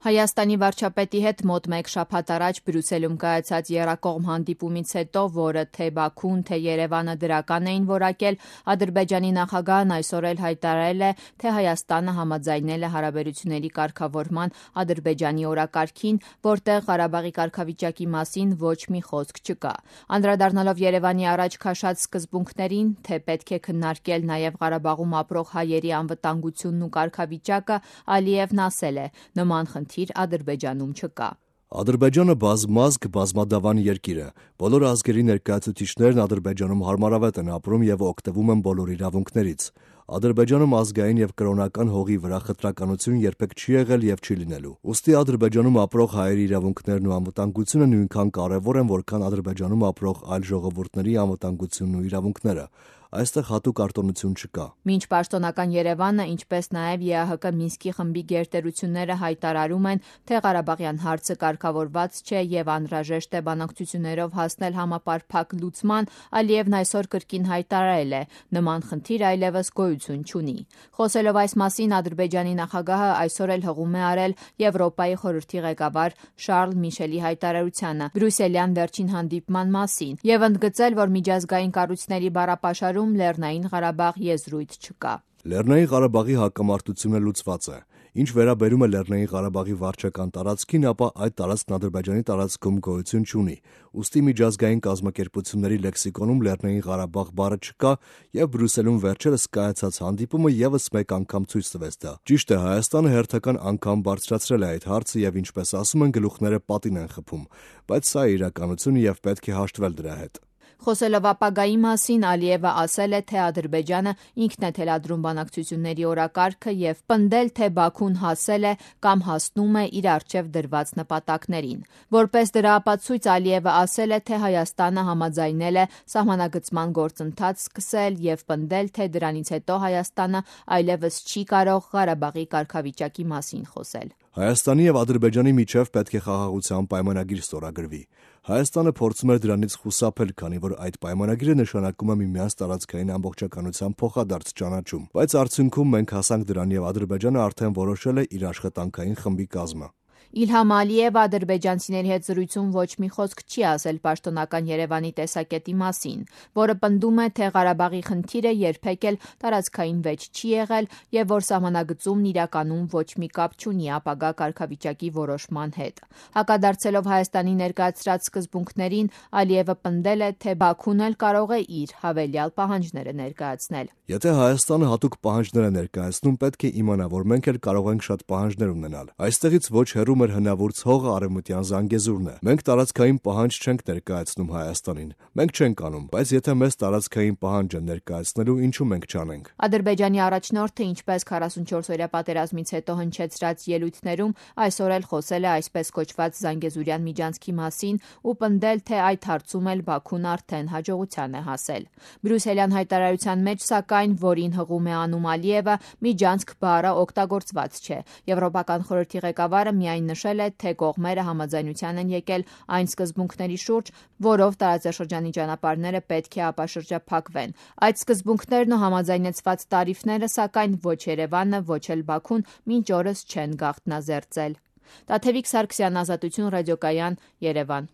Հայաստանի վարչապետի հետ մոտ մեկ շաբաթ առաջ Բրյուսելում կայացած եռակողմ հանդիպումից հետո, որը թե Բաքուն, թե Երևանը դրական էին որակել, Ադրբեջանի նախագահն այսօր էլ հայտարարել է, թե Հայաստանը համաձայնել է հարաբերությունների կարգավորման Ադրբեջանի օրակարգին, որտեղ Ղարաբաղի կարգավիճակի մասին ոչ մի խոսք չկա։ Անդրադառնալով Երևանի առաջ քաշած սկզբունքներին, թե պետք է քննարկել նաև Ղարաբաղում ապրող հայերի անվտանգությունն ու կարգավիճակը, Ալիևն ասել է. նման խնդիր Ադրբեջանում չկա։ Ադրբեջանը բազմազգ, բազմադավան երկիր է։ Բոլոր ազգերի ներկայացուցիչներն Ադրբեջանում հարմարավետ են ապրում եւ օգտվում են բոլոր իրավունքներից։ Ադրբեջանում ազգային եւ կրոնական հողի վրա խտրականություն երբեք չի եղել եւ չի լինելու։ Ուստի Ադրբեջանում ապրող հայերի իրավունքներն ու անվտանգությունը նույնքան կարեւոր են, որքան Ադրբեջանում ապրող այլ ժողովուրդների անվտանգությունն ու իրավունքները։ Այստեղ հատուկ արտոնություն չկա։ Մինչ պաշտոնական Երևանը, ինչպես նաև ԵԱՀԿ Մինսկի խմբի գերտերությունները հայտարարում են, թե Ղարաբաղյան հարցը կարգավորված չէ եւ անհրաժեշտ է բանակցություններով հասնել համապարփակ լուծման, Ալիևն այսօր կրկին հայտարարել է. նման խնդիր այլևս գոյություն չունի։ Խոսելով այս մասին, Ադրբեջանի նախագահը այսօր էլ հղում է արել Եվրոպայի խորհրդի ղեկավար Շարլ Միշելի հայտարարությանը բրյուսելյան վերջին հանդիպման մասին եւ ընդգծել, որ միջազգային կառույցների բառապաշարում Լեռնային Ղարաբաղ եզրույթ չկա։ Լեռնային Ղարաբաղի հակամարտությունը լուծված է։ Ինչ վերաբերում է Լեռնային Ղարաբաղի վարչական տարածքին, ապա այդ տարածքն Ադրբեջանի տարածքում գոյություն չունի։ Ուստի միջազգային կազմակերպությունների լեքսիկոնում Լեռնային Ղարաբաղ բառը չկա, եւ Բրյուսելում վերջերս կայացած հանդիպումը եւս մեկ անգամ ցույց տվեց դա։ Ճիշտ է, Հայաստանը հերթական անգամ բարձրացրել է այդ հարցը եւ ինչպես ասում են, գլուխները պատին են խփում, բայց սա է իրականությունը եւ պետք է հաշտվել դրա հետ։ Խոսելով ապագայի մասին, Ալիևը ասել է, թե Ադրբեջանը ինքն է թելադրում բանակցությունների օրակարգը եւ պնդել, թե Բաքուն հասել է կամ հասնում է իր առջև դրված նպատակներին։ Որպես դրա ապացույց Ալիևը ասել է, թե Հայաստանը համաձայնել է սահմանագծման գործընթաց սկսել եւ պնդել, թե դրանից հետո Հայաստանը այլևս չի կարող Ղարաբաղի կարգավիճակի մասին խոսել։ Հայաստանի եւ Ադրբեջանի միջև պետք է խաղաղության պայմանագիր ստորագրվի։ Հայաստանը փորձում էր դրանից խուսափել, քանի որ այդ պայմանագիրը նշանակում է միմյանց տարածքային ամբողջականության փոխադարձ ճանաչում, բայց արդյունքում մենք հասանք դրան եւ Ադրբեջանը արդեն որոշել է իր աշխատանքային խմբի կազմը։ Իլհամ Ալիևը ադրբեջանցիների հետ զրույցում ոչ մի խոսք չի ասել պաշտոնական Երևանի տեսակետի մասին, որը պնդում է, թե Ղարաբաղի խնդիրը երբեք էլ տարածքային վեճ չի եղել եւ որ սահմանագծումն իրականում ոչ մի կապ չունի ապագա կարգավիճակի որոշման հետ։ Հակադարձելով Հայաստանի ներկայացրած սկզբունքներին, Ալիևը պնդել է, թե Բաքուն էլ կարող է իր հավելյալ պահանջները ներկայացնել։ Եթե Հայաստանը հատուկ պահանջներ է ներկայացնում, պետք է իմանա, որ մենք էլ կարող ենք շատ պահանջներ ունենալ։ Այստեղից ոչ հեռու մեր հնավուրց հողը Արևմտյան Զանգեզուրն է։ Մենք տարածքային պահանջ չենք ներկայացնում Հայաստանին։ Մենք չենք անում, բայց եթե մեզ տարածքային պահանջ են ներկայացնելու, ինչու մենք չանենք։ Ադրբեջանի առաջնորդը, ինչպես 44-օրյա պատերազմից հետո հնչեցրած ելույթներում, այսօր էլ խոսել է այսպես կոչված Զանգեզուրյան միջանցքի մասին ու պնդել, թե այդ հարցում էլ Բաքուն արդեն հաջողության է հասել։ Բրյուսելյան հայտարարության մեջ, սակայն, որին հղում է անում Ալիևը, միջանցք բառը օգտագործված չէ։ Եվրոպական խորհրդի ղեկավարը միայն նշել է, թե կողմերը համաձայնության են եկել այն սկզբունքների շուրջ, որով տարածաշրջանի ճանապարհները պետք է ապաշրջափակվեն։ Այդ սկզբունքներն ու համաձայնեցված տարիֆները, սակայն, ոչ Երևանը, ոչ էլ Բաքուն մինչ օրս չեն գաղտնազերծել։ Տաթևիկ Սարգսյան, Ազատություն ռադիոկայան, Երևան։